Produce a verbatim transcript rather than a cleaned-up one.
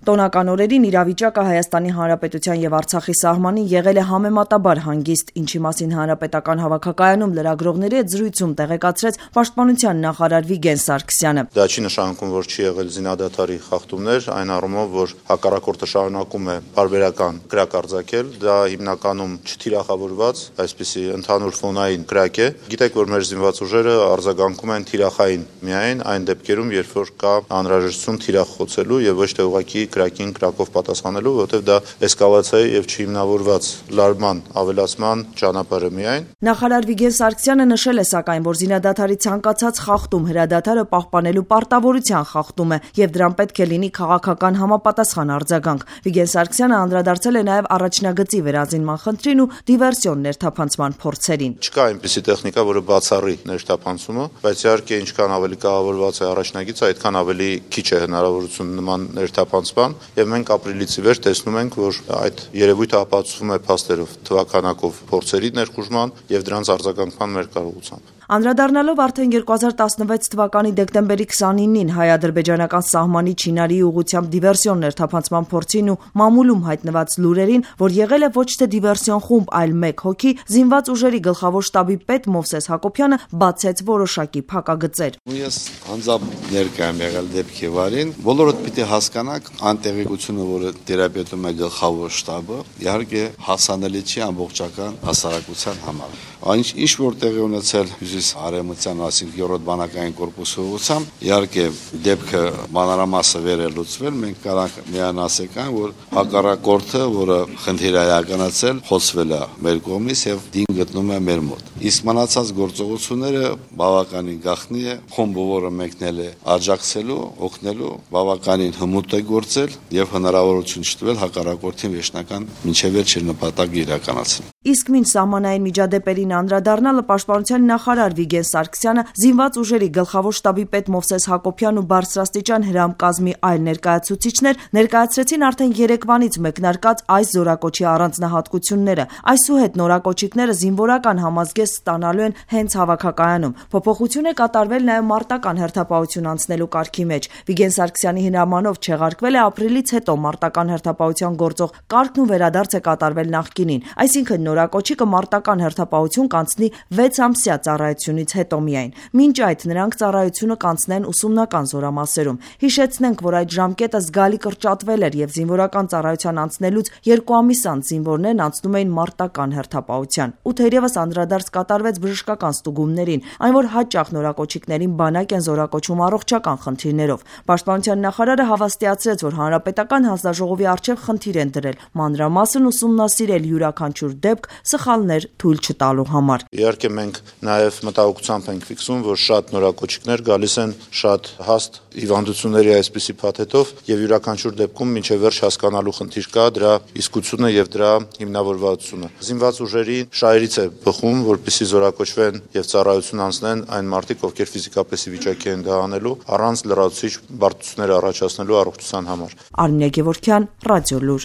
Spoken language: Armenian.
Տոնական օրերին իրավիճակը Հայաստանի Հանրապետության եւ Արցախի սահմանին եղել է համեմատաբար հանգիստ, ինչի մասին Հանրապետական հավաքակայանում լրագրողների հետ զրույցում տեղեկացրեց Պաշտպանության նախարար Վիգեն Սարգսյանը։ Դա չի նշանակում, որ չի եղել զինադադարի խախտումներ, այն առումով, որ հակառակորդը շարունակում է բարբերական կրակ արձակել, դա հիմնականում չթիրախավորված, այսպիսի ընդհանուր ֆոնային կրակ է։ Գիտեք, որ մեր զինված ուժերը արձագանքում են թիրախային միայն այն դեպքերում, երբ որ կա անհրաժեշտություն թիրախ խոցելու եւ ոչ թե ուղղակի կրակին կրակով պատասխանելու, որովհետև դա էսկալացիայի եւ չհիմնավորված լարման ավելացման ճանապարհը միայն։ Նախարար Վիգեն Սարգսյանը նշել է սակայն, որ զինադադարի ցանկացած խախտում հրադադարը պահպանելու պարտավորության խախտում է եւ դրան պետք է լինի քաղաքական համապատասխան արձագանք։ Վիգեն Սարգսյանը անդրադարձել է նաեւ առաջնագծի վերազինման խնդրին ու դիվերսիոն ներթափանցման փորձերին։ Չկա այնպիսի տեխնիկա, որը բացառի ներթափանցումը, բայց իհարկե ինչքան ավելի կառավարված է առաջնագիծը, այդքան ավելի քիչ է հնարավորություն նման ներթափանցման, եւ մենք ապրիլից ի վեր տեսնում ենք, որ այդ երևույթը ապացուցվում է փաստերով, թվականակով փորձերի ներխուժման եւ դրանց արձագանքման մեր կարողությամբ։ Անդրադառնալով արդեն երկու հազար տասնվեց թվականի դեկտեմբերի քսանինին հայ-ադրբեջանական սահմանի Չինարի ուղղությամբ դիվերսիոն ներթափանցման փորձին ու մամուլում հայտնված լուրերին, որ եղել է ոչ թե դիվերսիոն խումբ, այլ մեկ հոգի, զինված ուժերի գլխավոր շտաբի պետ Մովսես Հակոբյանը բացեց որոշակի փակագծեր։ Ես անձամբ ներկայ եմ եղել դեպքի վարին, բոլորդ պիտի հասկանաք անտեղեկությունը, որը տերապետում է գլխավոր շտաբը, իհարկե հասանելի չի ամբողջական հասարակության համար։ Այնինչ ինչ որ տեղի ունեցել արևմտյան, այսինքն երրորդ բանակային կորպուսի ուղղությամբ, իհարկե դեպքը մանրամասը վեր է լուծվել, մենք կարող միայն ասենք, որ հակառակորդը, որը խնդիր է իրականացել, խոցվել է մեր կողմից եւ դին գտնում է մեր մոտ։ Իսկ մնացած գործողությունները բավականին գաղտնի է, խումբը, որը մեկնել է աջակցելու, օգնելու, բավականին հմուտ է գործել եւ հնարավորություն չտվել հակառակորդին վերջնական մինչեւ վերջ նպատակը իրականացնել։ Իսկ մինչ սահմանային միջադեպերին անդրադառնալը Պաշտպանության նախարար Վիգեն Սարգսյանը զինված ուժերի գլխավոր շտաբի պետ Մովսես Հակոբյան ու բարձրաստիճան հրամկազմի այլ ներկայացուցիչներ ներկայացրեցին արդեն երեկվանից մեկնարկած այս զորակոչի առանձնահատկությունները։ Այսուհետ նորակոչիկները զինվորական համազգեստ ստանալու են հենց հավաքակայանում։ Փոփոխություն է կատարվել նաև մարտական հերթապահություն անցնելու կարգի մեջ։ Վիգեն Սարգսյանի հրամանով չեղարկվել է ապրիլից հետո մարտական հերթապահության գործող կարգն ու վերադարձ է կատարվել նախկինին, այսինքն նորակոչիկը մարտական հերթապահություն կանցնի վեց ամսյա ծառայությունից հետո միայն։ Մինչ այդ նրանք ծառայությունը կանցնեն ուսումնական զորամասերում։ Հիշեցնենք, որ այդ ժամկետը զգալի կրճատվել էր եւ զինվորական ծառայության անցնելուց երկու ամիս անց զինվորներն անցնում էին մարտական հերթապահության։ Ու թերևս անդրադարձ կատարվեց բժշկական ստուգումներին, այն որ հաճախ նորակոչիկներին բանակ են զորակոչում առողջական խնդիրներով։ Պաշտպանության նախարարը հավաստիացրեց, որ հանրապետական հանձնաժողովի առջև խնդիր են դրել մանրամասն ուսումնասիրել յուրաքանչյուր դեպք սխալներ թույլ չտալու համար։ Իհարկե մենք նաև մտահոգությամբ ենք ֆիքսում, որ շատ նորակոչիկներ գալիս են շատ հաստ հիվանդությունների այսպիսի փաթեթով եւ յուրաքանչյուր դեպքում մինչեւ վերջ հասկանալու խնդիր կա դրա իսկությունը եւ դրա հիմնավորվածությունը։ Զինված ուժերի շահերից է բխում, որպեսզի զորակոչվեն եւ ծառայություն անցնեն այն մարդիկ, ովքեր ֆիզիկապես ի վիճակի են դա անելու, առանց լրացուցիչ բարդություններ առաջացնելու առողջության համար։ Արմինե Գևորգյան, Ռադիոլուր։